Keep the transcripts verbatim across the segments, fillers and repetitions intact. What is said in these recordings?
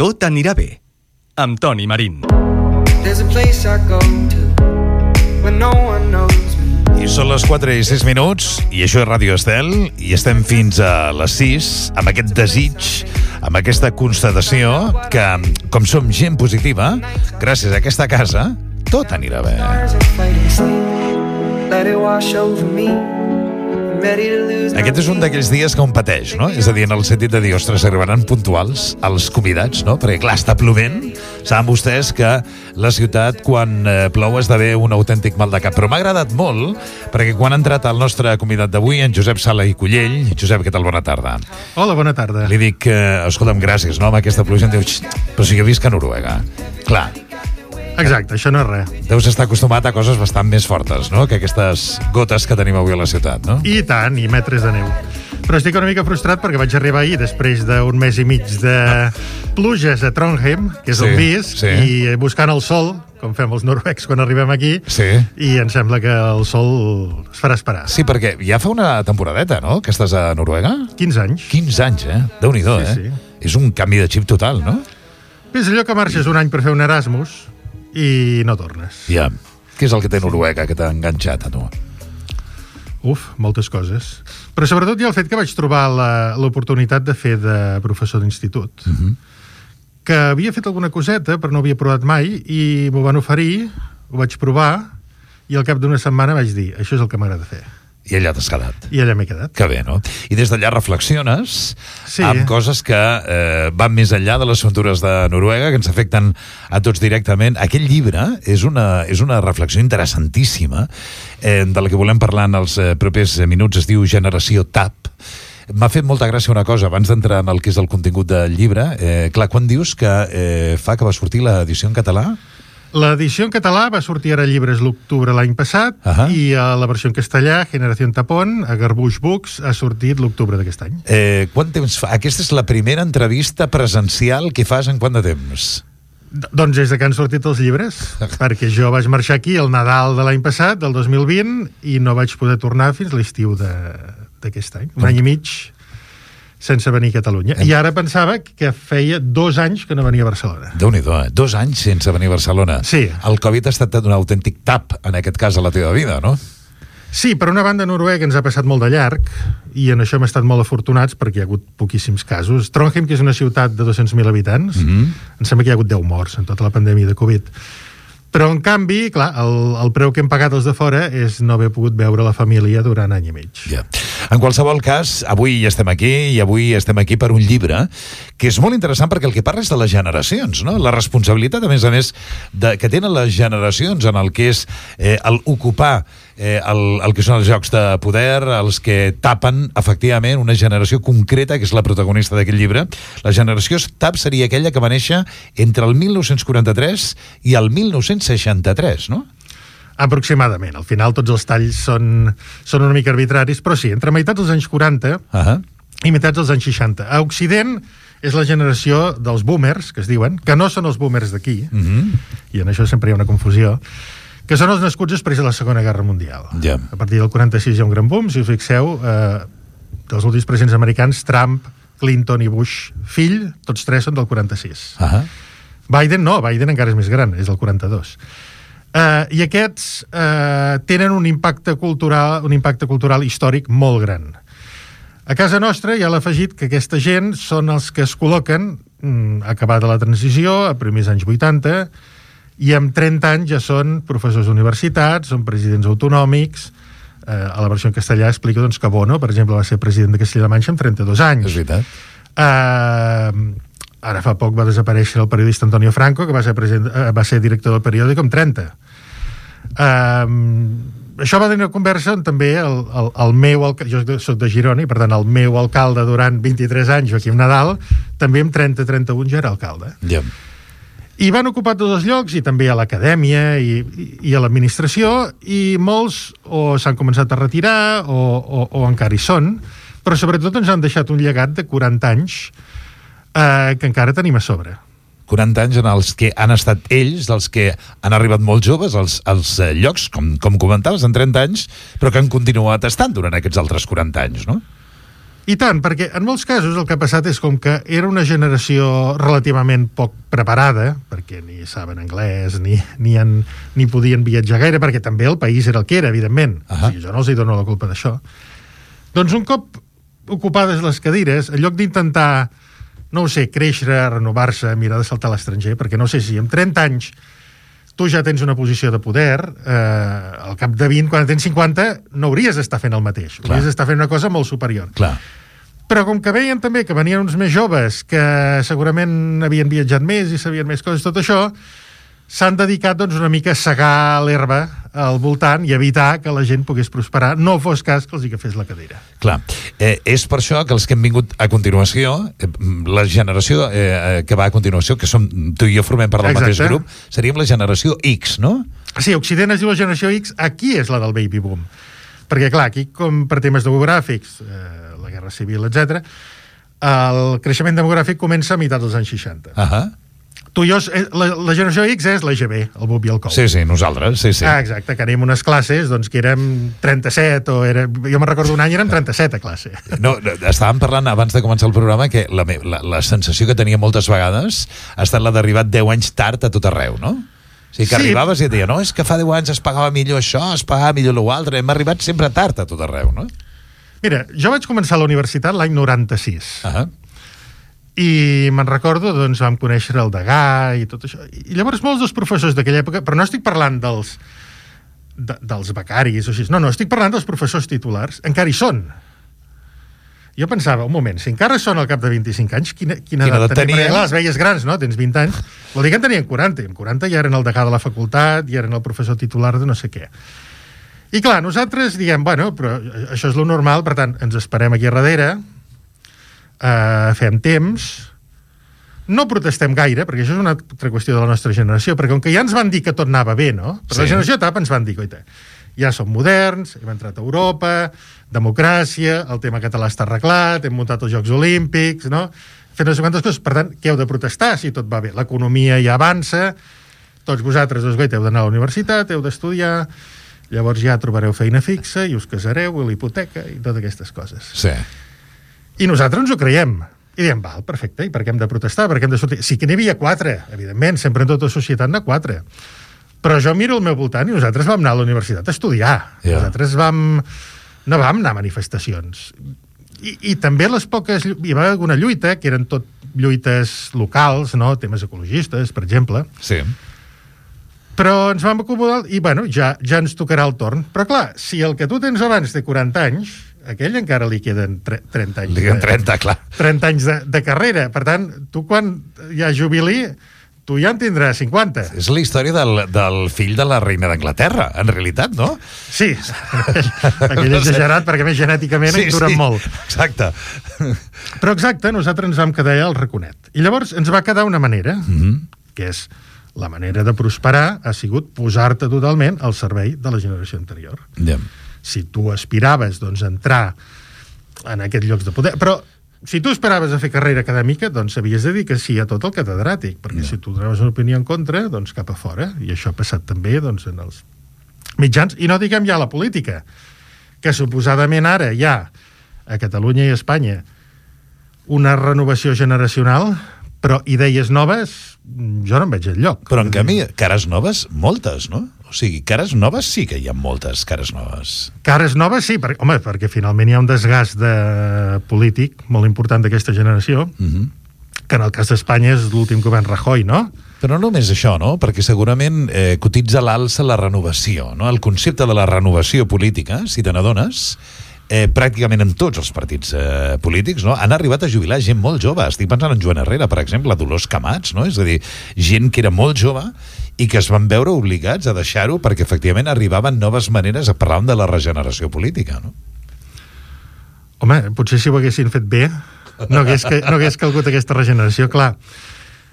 Tot anirà bé, amb Toni Marín. I són les quatre i sis minuts, i això és Ràdio Estel, i estem fins a les sis, amb aquest desig, amb aquesta constatació, que, com som gent positiva, gràcies a aquesta casa, tot anirà bé. Aquest és un d'aquells dies que un pateix, no? És a dir, en el sentit de dir, ostres, arribaran puntuals els convidats, no? Perquè, clar, està plovent. Saben vostès que la ciutat, quan eh, plou, esdevé un autèntic mal de cap. Però m'ha agradat molt, perquè quan ha entrat el nostre convidat d'avui, en Josep Sala i Cullell. Josep, què tal? Bona tarda. Hola, bona tarda. Li dic, eh, escolta'm, gràcies, no? Amb aquesta pluja em diu, però si jo visc a Noruega. Clar. Exacte, això no és res. Deus estar acostumat a coses bastant més fortes, no?, que aquestes gotes que tenim avui a la ciutat, no? I tant, i metres de neu. Però estic una mica frustrat perquè vaig arribar ahir després d'un mes i mig de pluges a Trondheim, que és Sí, on visc, sí. i buscant el sol, com fem els noruecs quan arribem aquí, Sí. i em sembla que el sol es farà esperar. Sí, perquè ja fa una temporadeta, no?, que estàs a Noruega. quinze anys. quinze anys, eh? Déu-n'hi-do, Sí, eh? sí. És un canvi de xip total, no? És allò que marxes un any per fer un Erasmus i no tornes. Ja. Què és el que té Noruega que t'ha enganxat a tu? Uf, moltes coses. Però sobretot hi ha el fet que vaig trobar la- l'oportunitat de fer de professor d'institut. Mhm. Que havia fet alguna coseta, però no havia provat mai, i m'ho van oferir, ho vaig provar, i al cap d'una setmana vaig dir, això és el que m'agrada fer. I allà t'has quedat. I allà m'he quedat. Que bé, no? I des d'allà reflexiones Sí. amb coses que eh, van més enllà de les aventures de Noruega, que ens afecten a tots directament. Aquest llibre és una, és una reflexió interessantíssima, eh, de la que volem parlar en els eh, propers minuts. Es diu Generació T A P. M'ha fet molta gràcia una cosa, abans d'entrar en el que és el contingut del llibre. Eh, clar, quan dius que eh, fa que va sortir l'edició en català? L'edició en català va sortir ara a Llibres l'octubre l'any passat, Ahà. i a la versió en castellà, Generació Tapón, a Garbuix Books, ha sortit l'octubre d'aquest any. Eh, quant temps fa? Aquesta és la primera entrevista presencial que fas en quant de temps? D- Doncs des de que han sortit els llibres, perquè jo vaig marxar aquí el Nadal de l'any passat, del dos mil vint, i no vaig poder tornar fins l'estiu de- d'aquest any. Un any i mig sense venir a Catalunya. I ara pensava que feia dos anys que no venia a Barcelona. Déu-n'hi-do, eh? Dos anys sense venir a Barcelona. Sí. El Covid ha estat un autèntic tap, en aquest cas, a la teva vida, no? Sí, per una banda, Noruega ens ha passat molt de llarg, i en això hem estat molt afortunats perquè hi ha hagut poquíssims casos. Trondheim, que és una ciutat de dos-cents mil habitants, Mhm. em sembla que hi ha hagut deu morts en tota la pandèmia de Covid. Però, en canvi, clar, el, el preu que hem pagat els de fora és no haver pogut veure la família durant any i mig. Ja. En qualsevol cas, avui estem aquí, i avui estem aquí per un llibre que és molt interessant perquè el que parla és de les generacions, no? La responsabilitat, a més a més, de, que tenen les generacions en el que és eh, el ocupar eh, el, el que són els jocs de poder, els que tapen, efectivament, una generació concreta, que és la protagonista d'aquest llibre. La generació T A P seria aquella que va néixer entre el mil nou-cents quaranta-tres i el mil nou-cents seixanta-tres, no? Aproximadament. Al final tots els talls són, són una mica arbitraris, però sí, entre meitats dels anys quaranta Uh-huh. i meitats dels anys seixanta. A Occident és la generació dels boomers, que es diuen, que no són els boomers d'aquí, Mhm. i en això sempre hi ha una confusió, que són els nascuts després de la Segona Guerra Mundial. Ja. A partir del quaranta-sis hi ha un gran boom, si us fixeu, eh, dels últims presidents americans, Trump, Clinton i Bush fill, tots tres són del quaranta-sis. Uh-huh. Biden no, Biden encara és més gran, és del quaranta-dos. Uh, I aquests uh, tenen un impacte cultural, un impacte cultural històric molt gran. A casa nostra hi ha l'afegit que aquesta gent són els que es col·loquen, mm, acabada la transició, a primers anys vuitanta, i amb trenta anys ja són professors d'universitats, són presidents autonòmics. Uh, a la versió en castellà explica doncs, que Bono, per exemple, va ser president de Castilla-La Manxa amb trenta-dos anys. És veritat. Uh, ara fa poc va desaparèixer el periodista Antonio Franco, que va ser, president, uh, va ser director del periòdic amb trenta. Uh, això va tenir una conversa on també el, el, el meu, alca- jo soc de Girona, i per tant el meu alcalde durant vint-i-tres anys, Joaquim Nadal, també amb trenta trenta-un ja era alcalde. Ja. I van ocupar tots els llocs, i també a l'acadèmia i, i, i a l'administració, i molts o s'han començat a retirar o, o, o encara hi són, però sobretot ens han deixat un llegat de quaranta anys eh, que encara tenim a sobre. quaranta anys en els que han estat ells, dels que han arribat molt joves als, als eh, llocs, com, com comentaves, en trenta anys, però que han continuat estant durant aquests altres quaranta anys, no? I tant, perquè en molts casos el que ha passat és com que era una generació relativament poc preparada, perquè ni saben anglès, ni, ni, en, ni podien viatjar gaire, perquè també el país era el que era, evidentment. Uh-huh. O sigui, jo no els hi dono la culpa d'això. Doncs un cop ocupades les cadires, en lloc d'intentar, no ho sé, créixer, renovar-se, mirar de saltar a l'estranger, perquè no sé si amb trenta anys tu ja tens una posició de poder, eh, al cap de vint, quan tens cinquanta, no hauries d'estar fent el mateix. Clar. Hauries d'estar fent una cosa molt superior. Clar. Però com que veien també que venien uns més joves, que segurament havien viatjat més i sabien més coses, tot això, s'han dedicat doncs, una mica a segar l'herba al voltant i evitar que la gent pogués prosperar, no fos cas que els hi agafés la cadira. Clar, eh, és per això que els que hem vingut a continuació, eh, la generació eh, que va a continuació, que som, tu i jo formem part del Exacte. mateix grup, seríem la generació X, no? Sí, Occident es diu la generació X, aquí és la del baby boom. Perquè, clar, aquí, com per temes demogràfics, eh, la guerra civil, etcètera, el creixement demogràfic comença a meitat dels anys seixanta. Ahà. Tu i jo, la, la generació X és l'E G B, el Bub i el Cou. Sí, sí, nosaltres, sí, sí. Ah, exacte, que anem unes classes doncs, que érem trenta-set, o era, jo me'n recordo un any érem trenta-set a classe. No, estàvem parlant abans de començar el programa que la, la, la sensació que tenia moltes vegades ha estat la d'arribar deu anys tard a tot arreu, no? O sigui, que Sí. arribaves i et deia, no, és que fa deu anys es pagava millor això, es pagava millor l'altre, hem arribat sempre tard a tot arreu, no? Mira, jo vaig començar a la universitat l'any noranta-sis. Ah, I me'n recordo, doncs, vam conèixer el Degà i tot això. I llavors molts dels professors d'aquella època, però no estic parlant dels, de, dels becaris o així, no, no, estic parlant dels professors titulars, encara hi són. Jo pensava, un moment, si encara són al cap de vint-i-cinc anys, quina, quina, Quina edat edat tenien? tenien? Perquè, clar, les veies grans, no? Tens vint anys. Vol dir que en tenien quaranta, i amb quaranta ja eren el degà de la facultat, ja eren el professor titular de no sé què. I clar, nosaltres diguem, bueno, però això és lo normal, per tant, ens esperem aquí a darrere, Uh, fem temps, no protestem gaire, perquè això és una altra qüestió de la nostra generació, perquè com que ja ens van dir que tot anava bé, no? Per sí. La generació etapa ens van dir, coita, ja som moderns, hem entrat a Europa, democràcia, el tema català està arreglat, hem muntat els Jocs Olímpics, no? Fent no sé quantes coses, per tant, què heu de protestar si tot va bé? L'economia ja avança, tots vosaltres, doncs, coita, heu d'anar a la universitat, heu d'estudiar, llavors ja trobareu feina fixa i us casareu, i l'hipoteca i totes aquestes coses. sí. I nosaltres ens ho creiem. I diem, val, perfecte, i per què hem de protestar? Per què hem de sortir? Sí que n'hi havia quatre, evidentment, sempre en tota societat n'hi ha quatre. Però jo miro al meu voltant i nosaltres vam anar a la universitat a estudiar. Yeah. Nosaltres vam... no vam anar a manifestacions. I, i també les poques... Hi va haver alguna lluita, que eren tot lluites locals, no? Temes ecologistes, per exemple. Sí. Però ens vam acomodar i, bueno, ja, ja ens tocarà el torn. Però, clar, si el que tu tens abans té quaranta anys, aquell encara li queden trenta anys. Li queden trenta, clar. trenta anys de, de carrera. Per tant, tu quan hi ha jubilí, tu ja en tindràs cinquanta. És la història del, del fill de la reina d'Anglaterra, en realitat, no? Sí, aquell exagerat, perquè més genèticament sí, en duren sí, molt. Exacte. Però exacte, nosaltres ens vam quedar allà al raconet. I llavors ens va quedar una manera, Mm-hmm. que és la manera de prosperar ha sigut posar-te totalment al servei de la generació anterior. Ja. Si tu aspiraves doncs, a entrar en aquests llocs de poder... Però si tu esperaves a fer carrera acadèmica, doncs havies de dir que sí a tot el catedràtic, perquè No. si tu donaves una opinió en contra, doncs cap a fora. I això ha passat també doncs, en els mitjans. I no diguem ja la política, que suposadament ara hi ha a Catalunya i a Espanya una renovació generacional, però idees noves jo no en veig enlloc. Però en canvi, cares noves, moltes, no? O sigui, cares noves sí que hi ha moltes cares noves. Cares noves, sí, perquè, home, perquè finalment hi ha un desgast de polític molt important d'aquesta generació, Mm-hmm. que en el cas d'Espanya és l'últim govern Rajoy, no? Però no només això, no? Perquè segurament eh, cotitza a l'alça la renovació, no? El concepte de la renovació política, si te n'adones, eh, pràcticament en tots els partits eh, polítics, no? Han arribat a jubilar gent molt jove. Estic pensant en Joan Herrera, per exemple, Dolors Camats, no? És a dir, gent que era molt jove i que es van veure obligats a deixar-ho perquè efectivament arribaven noves maneres a parlar de la regeneració política, no? Home, potser si ho haguessin fet bé no hagués, que, no hagués calgut aquesta regeneració, clar.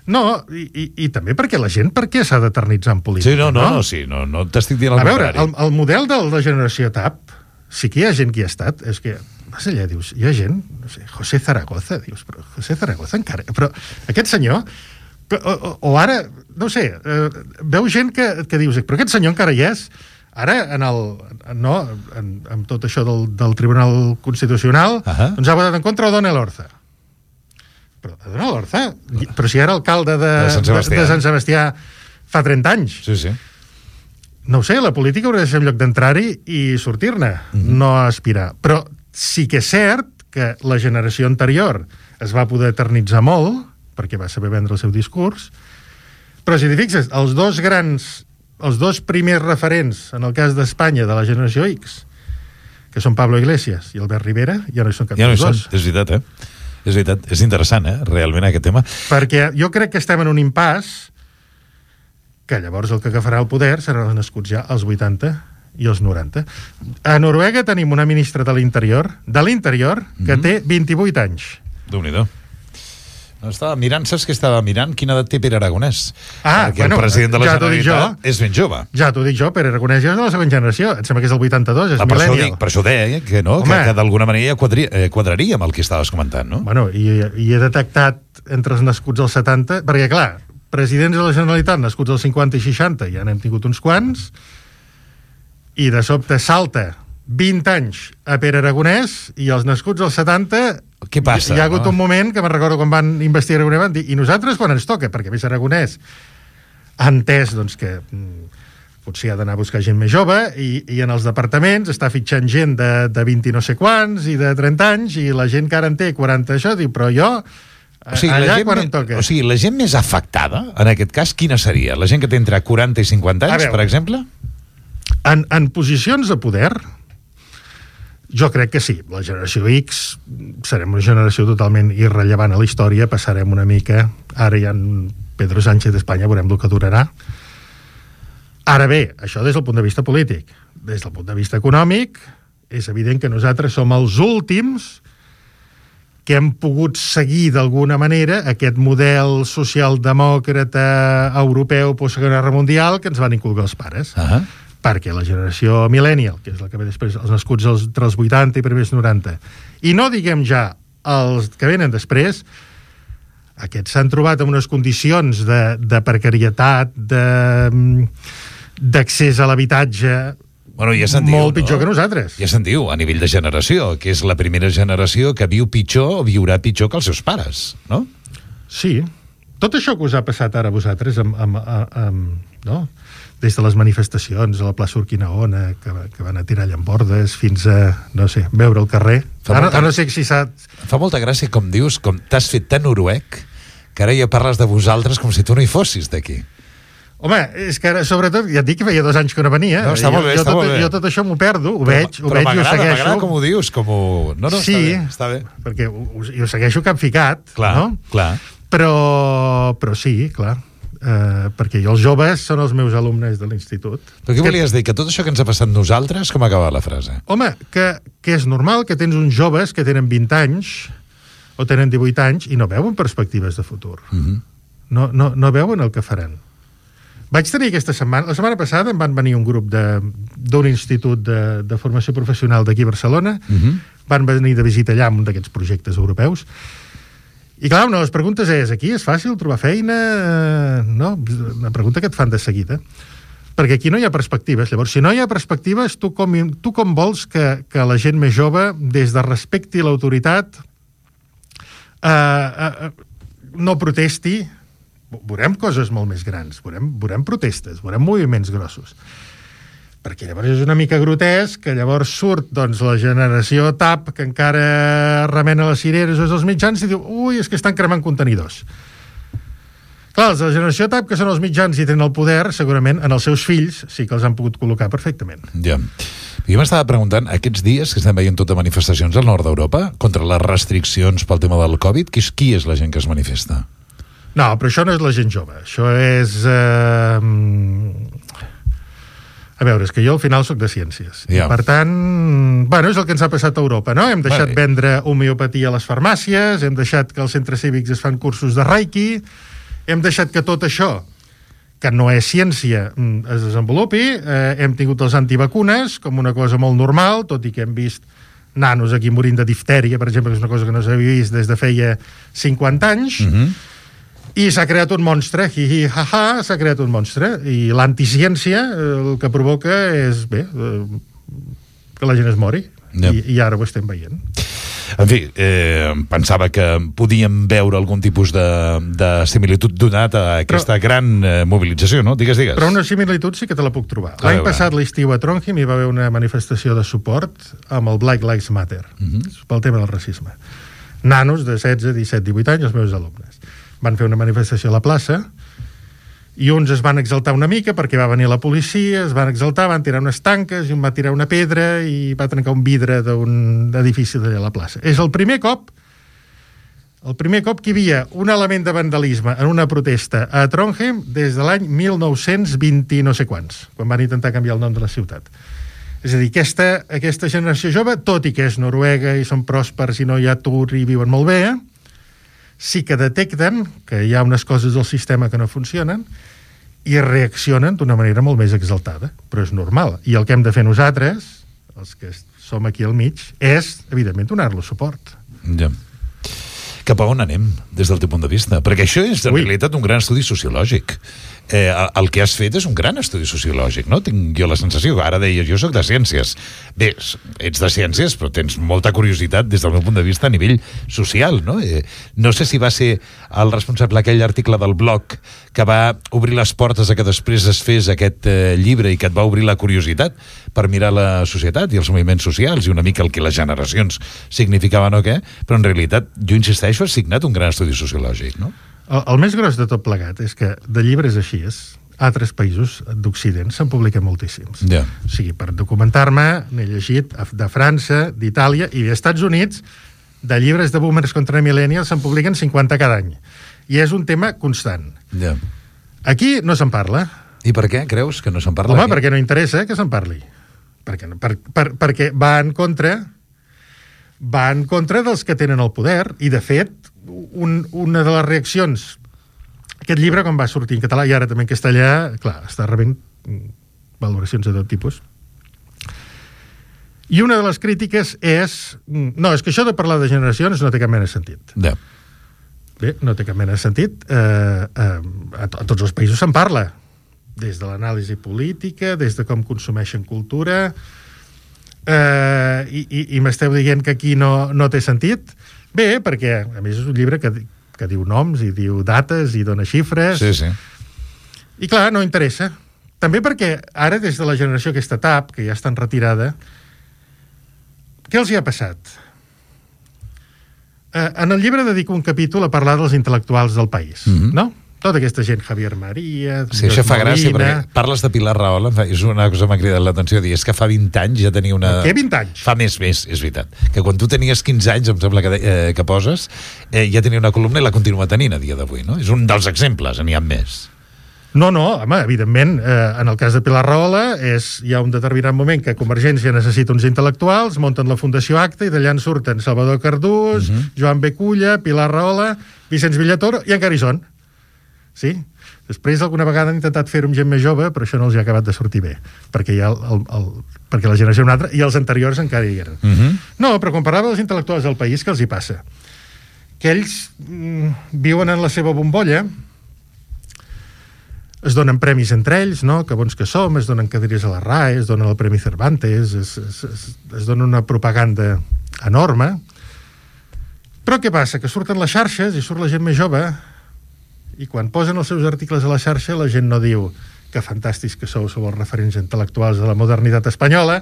No, i, i, i també perquè la gent per què s'ha d'eternitzar en política? Sí, no, no, no, sí, no, no t'estic dient el A veure, contrari. el, el model de la generació T A P, sí que hi ha gent que hi ha estat, és que, vas allà, dius, hi ha gent, no sé, José Zaragoza, dius, però José Zaragoza encara... Però aquest senyor, o, o, o ara, no ho sé, eh, veu gent que, que dius, però aquest senyor encara hi és, Ara, en el, no, en, amb tot això del, del Tribunal Constitucional, uh-huh. doncs ha votat en contra O'Donnell Orza. Però O'Donnell Orza, però si era alcalde de, de, Sant Sebastià. de, de Sant Sebastià fa trenta anys. Sí, sí. No ho sé, la política hauria de ser en lloc d'entrar-hi i sortir-ne, uh-huh. no aspirar. Però sí que és cert que la generació anterior es va poder eternitzar molt, perquè va saber vendre el seu discurs, però si t'hi fixes, els dos grans, els dos primers referents, en el cas d'Espanya, de la generació X, que són Pablo Iglesias i Albert Rivera, ja no hi són cap ja no dels dos. Són, és veritat, eh? És veritat, és interessant, eh? Realment, aquest tema. Perquè jo crec que estem en un impàs que llavors el que agafarà el poder seran els nascuts ja als vuitanta i els noranta. A Noruega tenim una ministra de l'Interior, de l'Interior, que mm-hmm. té vint-i-vuit anys. Déu-n'hi-do. Estava mirant, saps què estava mirant? Quina edat té Pere Aragonès? Ah, perquè bueno, el president de la ja Generalitat és ben jove. Ja t'ho dic jo, Pere Aragonès ja és de la segona generació. Em sembla que és el vuitanta-dos, és ah, per millennial. Això dic, per això deia que, no, que, que d'alguna manera ja quadri, eh, quadraria amb el que estaves comentant, no? Bueno, i, i he detectat entre els nascuts als setanta, perquè clar, presidents de la Generalitat nascuts als cinquanta i seixanta ja n'hem tingut uns quants, i de sobte salta vint anys a Pere Aragonès i els nascuts als setanta. Què passa? Hi ha hagut no? un moment que me'n recordo quan van investir Aragonès, van dir, i nosaltres quan ens toca? Perquè a més Aragonès ha entès doncs, que mm, potser ha d'anar a buscar gent més jove i, i en els departaments està fitxant gent de, de vint i no sé quants i de trenta anys i la gent que ara en té quaranta això diu, però jo o sigui, allà la gent quan me, em toca. O sigui, la gent més afectada, en aquest cas, quina seria? La gent que té entre quaranta i cinquanta anys, per exemple? En, en posicions de poder, jo crec que sí. La generació X serem una generació totalment irrellevant a la història, passarem una mica, ara hi ha Pedro Sánchez d'Espanya, veurem el que durarà. Ara bé, això des del punt de vista polític. Des del punt de vista econòmic, és evident que nosaltres som els últims que hem pogut seguir d'alguna manera aquest model socialdemòcrata europeu post-Segona Guerra Mundial que ens van inculcar els pares. Uh-huh. Perquè la generació millennial, que és la que ve després, els nascuts els, entre els vuitanta i primers noranta, i no diguem ja els que venen després, aquests s'han trobat en unes condicions de, de precarietat, de, d'accés a l'habitatge, bueno, ja diu, molt pitjor no? que nosaltres. Ja se'n diu, a nivell de generació, que és la primera generació que viu pitjor o viurà pitjor que els seus pares, no? Sí. Tot això que us ha passat ara a vosaltres, amb, amb, amb, amb, no? Des de les manifestacions a la plaça Urquinaona, que, que van a tirar llambordes, fins a, no sé, veure el carrer. Ara, molta, no sé si s'ha... Fa molta gràcia, com dius, com t'has fet tan noruec, que ara ja parles de vosaltres com si tu no hi fossis d'aquí. Home, és que ara, sobretot, ja et dic que feia dos anys que no venia. No, està jo, molt bé, jo, està tot, molt bé. Jo tot això m'ho perdo, ho però, veig, ho però veig i ho segueixo. M'agrada com ho dius, com ho... No, no, sí, està bé, està bé. Perquè ho, ho segueixo capficat, clar, no? Clar, però, però sí, clar, uh, perquè jo els joves són els meus alumnes de l'institut. Però què que... volies dir? Que tot això que ens ha passat nosaltres, com acaba la frase? Home, que, que és normal que tens uns joves que tenen vint anys o tenen divuit anys i no veuen perspectives de futur. Uh-huh. No, no, no veuen el que faran. Vaig tenir aquesta setmana... La setmana passada em van venir un grup d'un institut de, de formació professional d'aquí a Barcelona, uh-huh. van venir de visita allà amb un d'aquests projectes europeus, i clar, una de les preguntes és, aquí és fàcil trobar feina? No? Una pregunta que et fan de seguida. Perquè aquí no hi ha perspectives. Llavors, si no hi ha perspectives, tu com, tu com vols que, que la gent més jove, des de respecti l'autoritat, eh, eh, no protesti? Veurem coses molt més grans, veurem, veurem protestes, veurem moviments grossos. Perquè llavors és una mica grotesc que llavors surt doncs, la generació T A P que encara remena les cireres dels mitjans i diu, ui, és que estan cremant contenidors. Clar, els de la generació T A P, que són els mitjans i tenen el poder, segurament en els seus fills sí que els han pogut col·locar perfectament. Ja. Jo m'estava preguntant, aquests dies que estem veient tota manifestacions al nord d'Europa contra les restriccions pel tema del Covid, qui és, qui és la gent que es manifesta? No, però això no és la gent jove. Això és... Eh... A veure, és que jo al final sóc de ciències. Ja. I per tant, bueno, és el que ens ha passat a Europa, no? Hem deixat vale. vendre homeopatia a les farmàcies, hem deixat que als centres cívics es fan cursos de Reiki, hem deixat que tot això, que no és ciència, es desenvolupi, eh, hem tingut els antivacunes com una cosa molt normal, tot i que hem vist nanos aquí morint de diftèria, per exemple, que és una cosa que no s'havia vist des de feia cinquanta anys, uh-huh. I s'ha creat un monstre, hi, hi, ha, ha, s'ha creat un monstre. I l'anticiència el que provoca és, bé, que la gent es mori. Ja. I, I ara ho estem veient. En fi, eh, pensava que podíem veure algun tipus de, de similitud donat a aquesta però, gran eh, mobilització, no? Digues, digues. Però una similitud sí que te la puc trobar. L'any passat, l'estiu a Trondheim, hi va haver una manifestació de suport amb el Black Lives Matter, uh-huh. pel tema del racisme. Nanos de setze, disset, divuit anys, els meus alumnes. Van fer una manifestació a la plaça i uns es van exaltar una mica perquè va venir la policia, es van exaltar, van tirar unes tanques i un va tirar una pedra i va trencar un vidre d'un edifici d'allà a la plaça. És el primer cop el primer cop que hi havia un element de vandalisme en una protesta a Trondheim des de l'any mil nou-cents vint no sé quants, quan van intentar canviar el nom de la ciutat. És a dir, aquesta, aquesta generació jove, tot i que és Noruega i són pròspers i no hi ha atur i viuen molt bé, sí que detecten que hi ha unes coses del sistema que no funcionen i reaccionen d'una manera molt més exaltada, però és normal. I el que hem de fer nosaltres, els que som aquí al mig, és, evidentment, donar-los suport. Ja. Cap a on anem, des del teu punt de vista? Perquè això és, en Ui. realitat, un gran estudi sociològic. Eh, el que has fet és un gran estudi sociològic, no? Tinc jo la sensació, ara deia, jo soc de ciències. Bé, ets de ciències, però tens molta curiositat des del meu punt de vista a nivell social, no? Eh, no sé si va ser el responsable d'aquell article del blog que va obrir les portes a que després es fes aquest eh, llibre i que et va obrir la curiositat per mirar la societat i els moviments socials i una mica el que les generacions significaven o què, però en realitat, jo insisteixo, has signat un gran estudi sociològic, no? El, el més gros de tot plegat és que de llibres així és, a altres països d'Occident se'n publiquen moltíssims. Ja. O sigui, per documentar-me, n'he llegit de França, d'Itàlia i dels Estats Units, de llibres de boomers contra millennials se'n publiquen cinquanta cada any. I és un tema constant. Ja. Aquí no se'n parla. I per què creus que no se'n parla? Home, aquí? perquè no interessa que se'n parli. Perquè, per, per, perquè va en contra va en contra dels que tenen el poder i, de fet, un, una de les reaccions aquest llibre, quan va sortir en català i ara també en castellà, clar, està rebent valoracions de tot tipus. I una de les crítiques és no, és que això de parlar de generacions no té cap mena de sentit. Ja. Bé, no té cap mena de sentit. Eh, eh, a, a tots els països se'n parla, des de l'anàlisi política, des de com consumeixen cultura, eh, i, i, i m'esteu dient que aquí no, no té sentit? Bé, perquè a més és un llibre que, que diu noms i diu dates i dona xifres. Sí, sí. I clar, no interessa. També perquè ara, des de la generació aquesta T A P, que ja està en retirada, què els hi ha passat? Eh, en el llibre dedico un capítol a parlar dels intel·lectuals del país, mm-hmm. no? Tota aquesta gent, Javier María... Sí, això fa gràcia, perquè parles de Pilar Rahola, és una cosa que m'ha cridat l'atenció, dir, és que fa vint anys ja tenia una... Què vint anys? Fa més, més, és veritat. Que quan tu tenies quinze anys, em sembla que, eh, que poses, eh, ja tenia una columna i la continua tenint a dia d'avui, no? És un dels exemples, n'hi ha més. No, no, home, evidentment, eh, en el cas de Pilar Rahola, és, hi ha un determinat moment que Convergència necessita uns intel·lectuals, munten la Fundació Acta i d'allà en surten Salvador Cardús, uh-huh. Joan Beculla, Pilar Rahola, Vicenç Villatoro, i encara hi són. Sí? Després alguna vegada han intentat fer-ho amb gent més jove, però això no els ha acabat de sortir bé, perquè, hi ha el, el, el, perquè la generació és una altra, i els anteriors encara hi eren. Uh-huh. No, però quan parlava dels intel·lectuals del país, què els hi passa? Que ells mm, viuen en la seva bombolla, es donen premis entre ells, no? Que bons que som, es donen cadires a la R A E, es donen el Premi Cervantes, es, es, es, es dona una propaganda enorme. Però què passa? Que surten les xarxes i surt la gent més jove i quan posen els seus articles a la xarxa la gent no diu que fantàstics que sou, sou els referents intel·lectuals de la modernitat espanyola,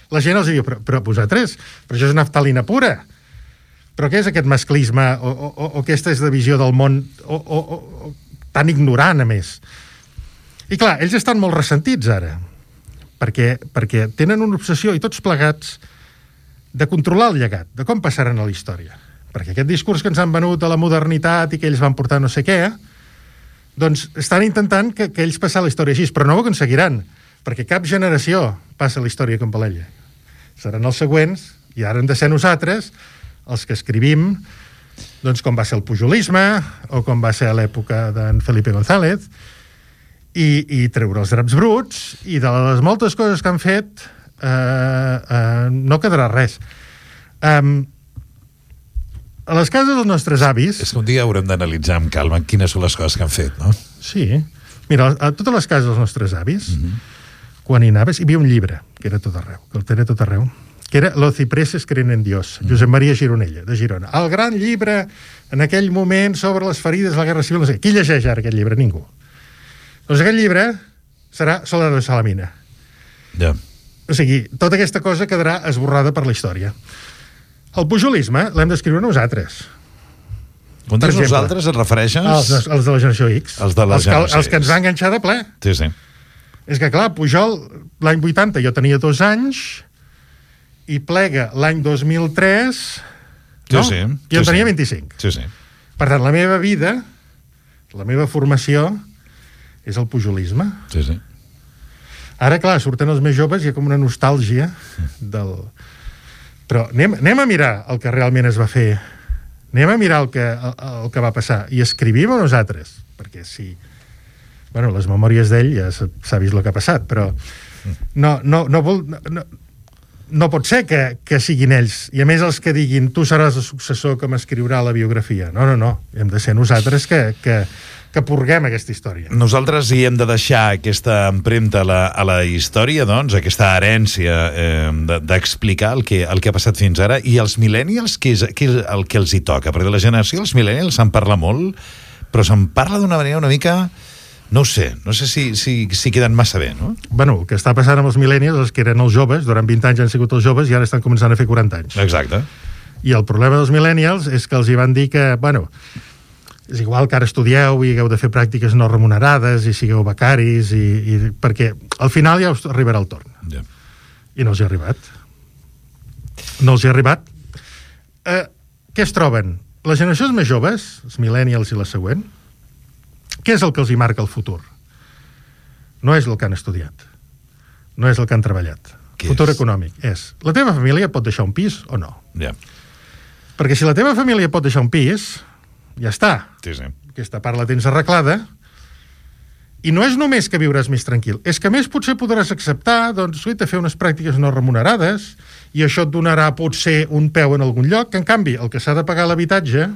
la gent els diu però, però vosaltres, però això és naftalina pura, però què és aquest masclisme o, o, o aquesta és la visió del món o, o, o, tan ignorant a més. I clar, ells estan molt ressentits ara perquè, perquè tenen una obsessió i tots plegats de controlar el llegat, de com passaran a la història, perquè aquest discurs que ens han venut a la modernitat i que ells van portar no sé què, doncs estan intentant que, que ells passin la història així, però no ho aconseguiran, perquè cap generació passa la història com per ella. Seran els següents, i ara hem de ser nosaltres, els que escrivim, doncs com va ser el pujolisme, o com va ser a l'època d'en Felipe González, i, i treure els draps bruts, i de les moltes coses que han fet, eh, eh, no quedarà res. Um, a les cases dels nostres avis... És que un dia haurem d'analitzar amb calma quines són les coses que han fet, no? Sí. Mira, a totes les cases dels nostres avis, mm-hmm. quan hi anaves, hi havia un llibre, que era tot arreu, que el tenia tot arreu, que era Los cipreses creen en Dios, mm-hmm. Josep Maria Gironella, de Girona. El gran llibre, en aquell moment, sobre les ferides de la Guerra Civil. No sé. Qui llegeix ara aquest llibre? Ningú. Doncs aquest llibre serà Soler de Salamina. Ja. O sigui, tota aquesta cosa quedarà esborrada per la història. El pujolisme l'hem d'escriure nosaltres. Quan dius nosaltres et refereixes... Els, els de la generació X. Els de la els, generació que, els que ens van enganxar de ple. Sí, sí. És que, clar, Pujol, l'any vuitanta jo tenia dos anys i Plega l'any dos mil tres... No? Sí, sí. I jo sí, tenia sí. vint-i-cinc. Sí, sí. Per tant, la meva vida, la meva formació, és el pujolisme. Sí, sí. Ara, clar, surten els més joves i hi ha com una nostàlgia del... Però anem, anem a mirar el que realment es va fer. Anem a mirar el que, el, el que va passar. I escrivim a nosaltres. Perquè si... Bueno, les memòries d'ell ja s'ha vist el que ha passat, però no, no, no, vol, no, no pot ser que, que siguin ells. I a més els que diguin tu seràs el successor que m'escriurà la biografia. No, no, no. Hem de ser nosaltres que... que que purguem aquesta història. Nosaltres hi hem de deixar aquesta empremta a la, a la història, doncs, aquesta herència eh, d'explicar el, que, el que ha passat fins ara, i els millennials, què és, què és el que els hi toca? Perquè de la generació els millennials se'n parla molt, però se'n parla d'una manera una mica... No ho sé, no sé si, si, si queden massa bé, no? Bueno, el que està passant amb els millennials és que eren els joves, durant vint anys han sigut els joves i ara estan començant a fer quaranta anys. Exacte. I el problema dels millennials és que els hi van dir que, bueno... és igual que ara estudieu i hagueu de fer pràctiques no remunerades i sigueu becaris i, i, perquè al final ja us arribarà el torn. Yeah. I no els hi ha arribat. No els hi ha arribat. Eh, què es troben? Les generacions més joves, els millennials i la següent, què és el que els hi marca el futur? No és el que han estudiat. No és el que han treballat. Què futur és? Econòmic. És, la teva família pot deixar un pis o no? Yeah. Perquè si la teva família pot deixar un pis... ja està. Sí, sí. Aquesta part la tens arreglada i no és només que viuràs més tranquil, és que més potser podràs acceptar, doncs, de fer unes pràctiques no remunerades i això et donarà potser un peu en algun lloc, que en canvi el que s'ha de pagar l'habitatge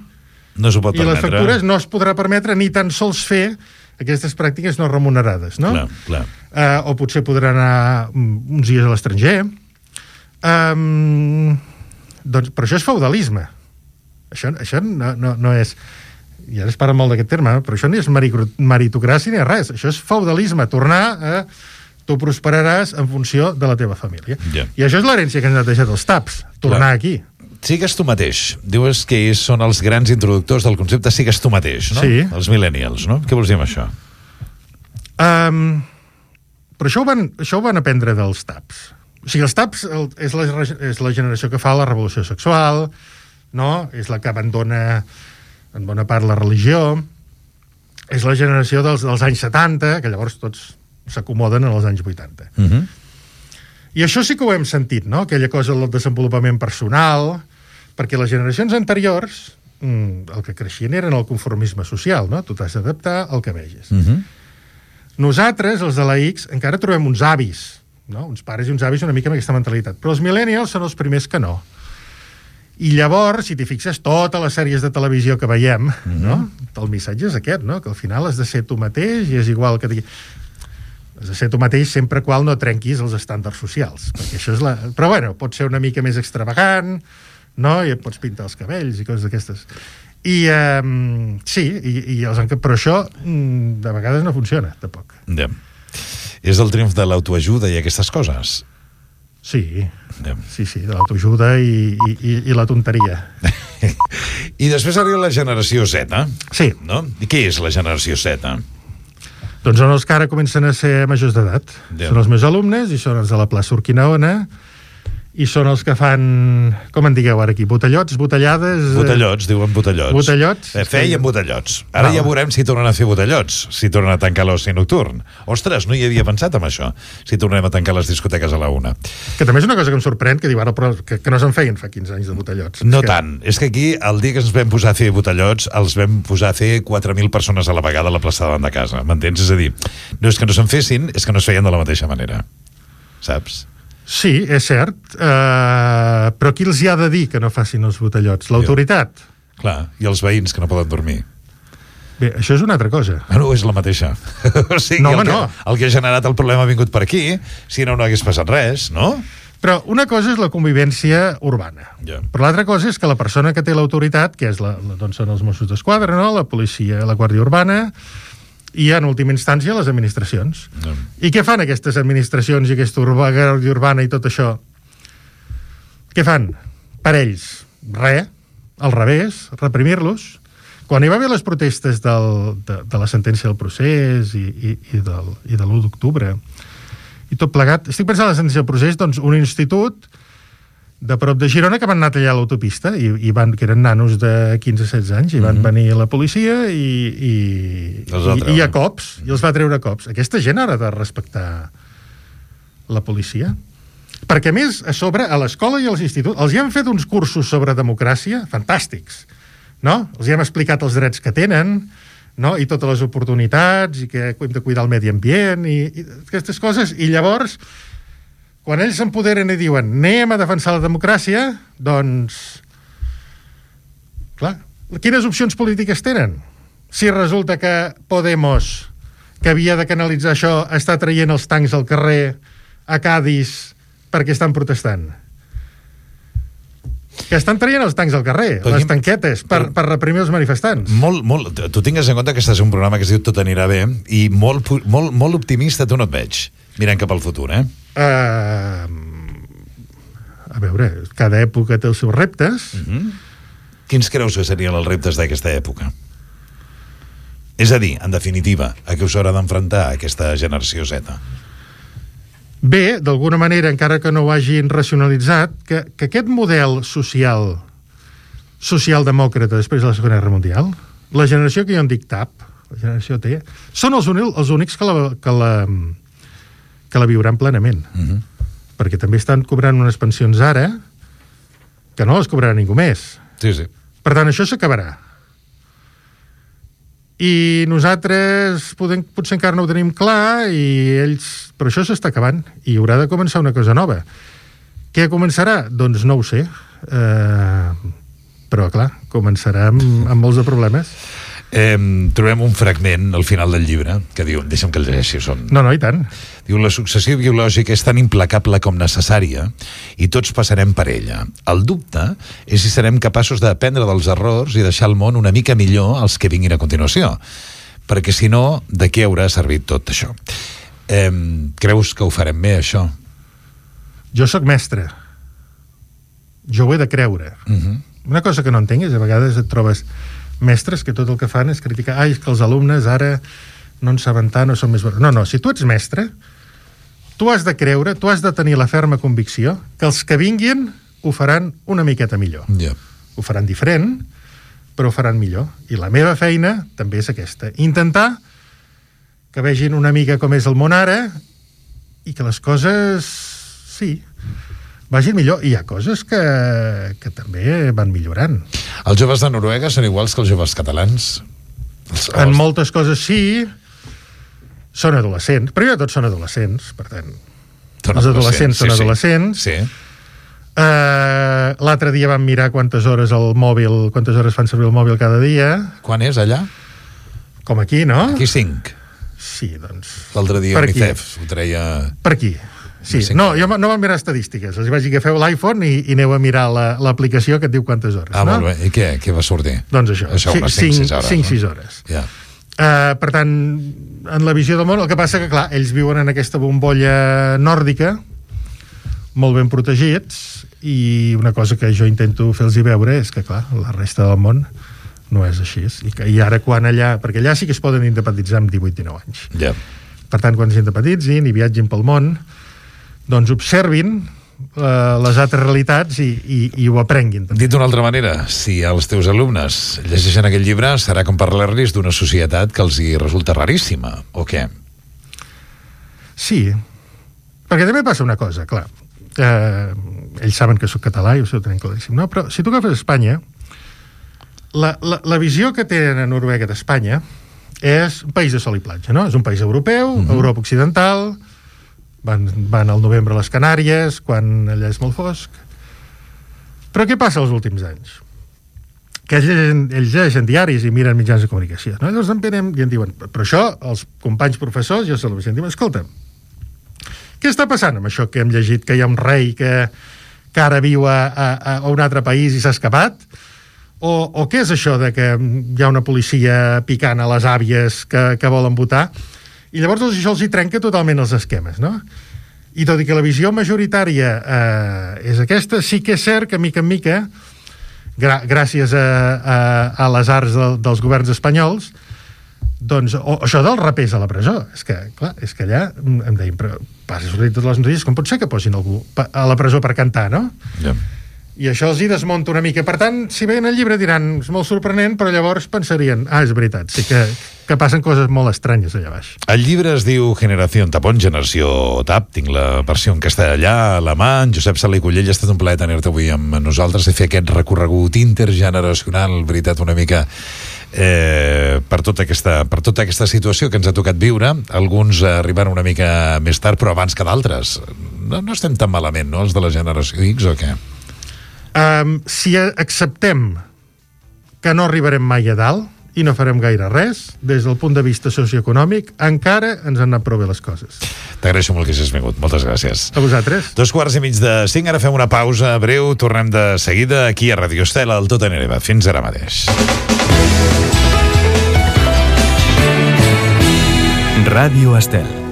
no s'ho pot i permetre. les factures no es podrà permetre ni tan sols fer aquestes pràctiques no remunerades, no? Clar, clar. Uh, o potser podrà anar uns dies a l'estranger. Um, doncs, però això és feudalisme. Això, això no, no, no és... I ara es parla molt d'aquest terme, però això no és meritocràcia ni res. Això és feudalisme, tornar a... Tu prosperaràs en funció de la teva família. Yeah. I això és l'herència que ens han deixat els taps, tornar Clar. Aquí. Sigues tu mateix. Dius que són els grans introductors del concepte sigues tu mateix, no? Sí. Els millennials, no? Què vols dir amb això? Um, però això ho, van, això ho van aprendre dels taps. O sigui, els taps el, és, la, és la generació que fa la revolució sexual, no? És la que abandona en bona part la religió, és la generació dels, dels anys setanta, que llavors tots s'acomoden en els anys vuitanta. Uh-huh. I això sí que ho hem sentit, no? Aquella cosa del desenvolupament personal, perquè les generacions anteriors el que creixien era en el conformisme social, no? Tu t'has d'adaptar al que vegis. Uh-huh. Nosaltres, els de la X, encara trobem uns avis, no? Uns pares i uns avis una mica amb aquesta mentalitat, però els millennials són els primers que no. I llavors, si t'hi fixes, totes les sèries de televisió que veiem, mm-hmm. no? El missatge és aquest, no? Que al final has de ser tu mateix i és igual que... Has de ser tu mateix sempre qual no trenquis els estàndards socials, perquè això és la... Però bueno, pot ser una mica més extravagant, no? I et pots pintar els cabells i coses d'aquestes. I um, sí, i, i els enca... però això mm, de vegades no funciona, tampoc. Ja. És el triomf de l'autoajuda i aquestes coses? Sí, ja. sí, sí, de l'autoajuda i, i, i la tonteria. I després arriba la generació Z, sí. No? I què és la generació Z? Doncs són els que ara comencen a ser majors d'edat. Ja. Són els meus alumnes i són els de la plaça Urquinaona i són els que fan, com en digueu ara aquí, botellots, botellades... Botellots, diuen botellots. Botellots. Eh, feien botellots. Ara no. Ja veurem si tornen a fer botellots, si tornen a tancar l'oci nocturn. Ostres, no hi havia pensat en això, si tornem a tancar les discoteques a la una. Que també és una cosa que em sorprèn, que diu ara, però que, que no se'n feien fa quinze anys de botellots. No és que... tant. És que aquí, el dia que ens vam posar a fer botellots, els vam posar a fer quatre mil persones a la vegada a la plaça davant de casa. M'entens? És a dir, no és que no se'n fessin, és que no es feien de la mateixa manera. Saps? Sí, és cert, uh, però qui els hi ha de dir que no facin els botellots? L'autoritat? Clar, i els veïns que no poden dormir. Bé, això és una altra cosa. Bueno, és la mateixa. O sigui, no, el, home, que, no. el que ha generat el problema ha vingut per aquí, si no, no hagués passat res, no? Però una cosa és la convivència urbana. Ja. Però l'altra cosa és que la persona que té l'autoritat, que és la, la, doncs són els Mossos d'Esquadra, no? La policia, la Guàrdia Urbana, i en última instància les administracions. Ja. I què fan aquestes administracions i aquesta Guàrdia Urbana i tot això? Què fan? Per ells, res, al revés, reprimir-los. Quan hi va haver les protestes del, de, de la sentència del procés i, i, i, del, i de l'u d'octubre i tot plegat, estic pensant en la sentència del procés, doncs un institut de prop de Girona que van anar a tallar l'autopista i, i van, que eren nanos de quinze a setze anys i van mm-hmm. venir la policia i, i, i, i a cops, i els va treure a cops. Aquesta gent ara ha de respectar la policia. Perquè, a més, a sobre, a l'escola i als instituts, els hi han fet uns cursos sobre democràcia fantàstics, no? Els hi hem explicat els drets que tenen, no? I totes les oportunitats, i que hem de cuidar el medi ambient, i, i aquestes coses, i llavors, quan ells s'empoderen i diuen anem a defensar la democràcia, doncs, clar, quines opcions polítiques tenen? Si resulta que Podemos, que havia de canalitzar això, està traient els tancs al carrer a Cádiz perquè estan protestant. Que estan traient els tancs al carrer, però les aquí, tanquetes, per, per reprimir els manifestants. Molt, molt, tu tingues en compte que estàs en un programa que es diu Tot anirà bé, i molt, molt, molt optimista tu no et veig, mirant cap al futur, eh? Uh, a veure, cada època té els seus reptes. Uh-huh. Quins creus que serien els reptes d'aquesta època? És a dir, en definitiva, a què us haurà d'enfrontar aquesta generació Z? Bé, d'alguna manera, encara que no ho hagin racionalitzat, que, que aquest model social, socialdemòcrata després de la Segona Guerra Mundial, la generació que jo en dic T A P, la generació T, són els, uni, els únics que la, que la, que la viuran plenament. Uh-huh. Perquè també estan cobrant unes pensions ara que no les cobrarà ningú més. Sí, sí. Per tant, això s'acabarà. I nosaltres podem, potser encara no ho tenim clar i ells, però això s'està acabant i haurà de començar una cosa nova. Què començarà? Doncs no ho sé, eh, però clar, començarà amb, amb molts de problemes. Eh, trobem un fragment al final del llibre que diu, deixa'm que el llegeixi, són... No, no, i tant. Diu, la successió biològica és tan implacable com necessària i tots passarem per ella. El dubte és si serem capaços d'aprendre dels errors i deixar el món una mica millor als que vinguin a continuació. Perquè si no, de què haurà servit tot això? Eh, creus que ho farem bé, això? Jo sóc mestre. Jo ho he de creure. Uh-huh. Una cosa que no entenc és a vegades et trobes mestres que tot el que fan és criticar, ai, és que els alumnes ara no en saben tant, no són més... No, no, si tu ets mestre, tu has de creure, tu has de tenir la ferma convicció que els que vinguin ho faran una miqueta millor. Yeah. Ho faran diferent, però ho faran millor. I la meva feina també és aquesta. Intentar que vegin una mica com és el món ara i que les coses, sí, vagin millor. I hi ha coses que, que també van millorant. Els joves de Noruega són iguals que els joves catalans? Els, els... En moltes coses sí, són adolescents. Primer de tot són adolescents, per tant. Són els adolescents sí, són adolescents. Sí. Uh, l'altre dia vam mirar quantes hores el mòbil, quantes hores fan servir el mòbil cada dia. Quan és allà? Com aquí, no? Aquí cinc. Sí, doncs... L'altre dia UNICEF ho treia... Per aquí. Sí, no, jo no vam mirar estadístiques. Els vaig dir que feu l'iPhone i, i aneu a mirar l'aplicació que et diu quantes hores. Ah, no? Molt bé. I què? Què va sortir? Doncs això, això unes cinc sis hores. cinc sis hores. Ja. Uh, per tant, en la visió del món, el que passa que, clar, ells viuen en aquesta bombolla nòrdica, molt ben protegits, i una cosa que jo intento fer-los veure és que, clar, la resta del món no és així. I, que, i ara quan allà... Perquè allà sí que es poden independitzar amb divuit dinou anys. Ja. Per tant, quan s'independitzin i viatgin pel món, doncs observin uh, les altres realitats i, i, i ho aprenguin. També. Dit d'una altra manera, si els teus alumnes llegeixen aquest llibre, serà com parlar-los d'una societat que els hi resulta raríssima, o què? Sí, perquè també passa una cosa, clar. Eh, ells saben que soc català i ho tenen claríssim, no? Però si tu agafes Espanya, la, la, la visió que tenen a Noruega d'Espanya és un país de sol i platja, no? És un país europeu, uh-huh. Europa occidental, van, van al novembre a les Canàries, quan allà és molt fosc. Però què passa els últims anys? que ells llegeixen, ells llegeixen diaris i miren mitjans de comunicació, no? Llavors en venem i en diuen, però això, els companys professors, jo se l'ho diuen, escolta, què està passant amb això que hem llegit, que hi ha un rei que, que ara viu a, a, a un altre país i s'ha escapat? O, o què és això de que hi ha una policia picant a les àvies que, que volen votar? I llavors això els hi trenca totalment els esquemes, no? I tot i que la visió majoritària eh, és aquesta, sí que és cert que mica en mica, gra gràcies a, a, a les arts de, dels governs espanyols, doncs, o, això dels rapers a la presó, és que, clar, és que allà em deien, però passa sortit totes les notícies, com pot ser que posin algú a la presó per cantar, no? Ja. Yeah. I això els hi desmunta una mica. Per tant, si veien el llibre diran, és molt sorprenent, però llavors pensarien, ah, és veritat, sí que, que passen coses molt estranyes allà baix. El llibre es diu Generació Tapón, Generació Tap, tinc la versió en castellà a la mà. Josep Sala i Cullell, ha estat un plaer tenir-te avui amb nosaltres i fer aquest recorregut intergeneracional, veritat, una mica eh, per, tota aquesta, per tota aquesta situació que ens ha tocat viure. Alguns arribaran una mica més tard, però abans que d'altres. No, no estem tan malament, no?, els de la generació X, o què? Um, si acceptem que no arribarem mai a dalt i no farem gaire res, des del punt de vista socioeconòmic, encara ens han anat prou bé les coses. T'agraeixo molt que hagis vingut. Moltes gràcies. A vosaltres. Dos quarts i mig de cinc, ara fem una pausa breu, tornem de seguida aquí a Radio Estel, al Tot en Hereva. Fins ara mateix. Ràdio Estel.